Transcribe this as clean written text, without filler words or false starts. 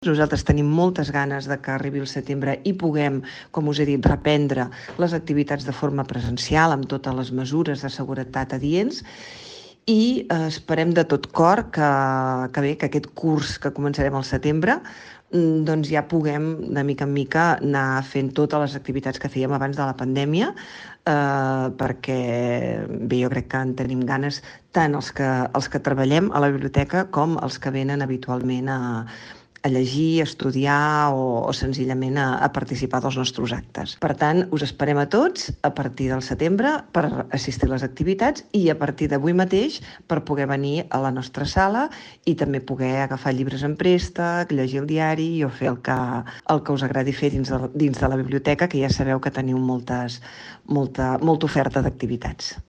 Nosaltres tenim moltes ganes de que arribi el setembre i puguem, com us he dit, reprendre les activitats de forma presencial amb totes les mesures de seguretat adients i esperem de tot cor que aquest curs que començarem al setembre doncs ja puguem de mica en mica anar fent totes les activitats que fèiem abans de la pandèmia, perquè bé, jo crec que en tenim ganes tant els que treballem a la biblioteca com els que venen habitualment a llegir, a estudiar o senzillament a participar dels nostres actes. Per tant, us esperem a tots a partir del setembre per assistir a les activitats i a partir d'avui mateix per poder venir a la nostra sala i també poder agafar llibres en préstec, llegir el diari o fer el que us agradi fer dins de la biblioteca, que ja sabeu que teniu molta oferta d'activitats.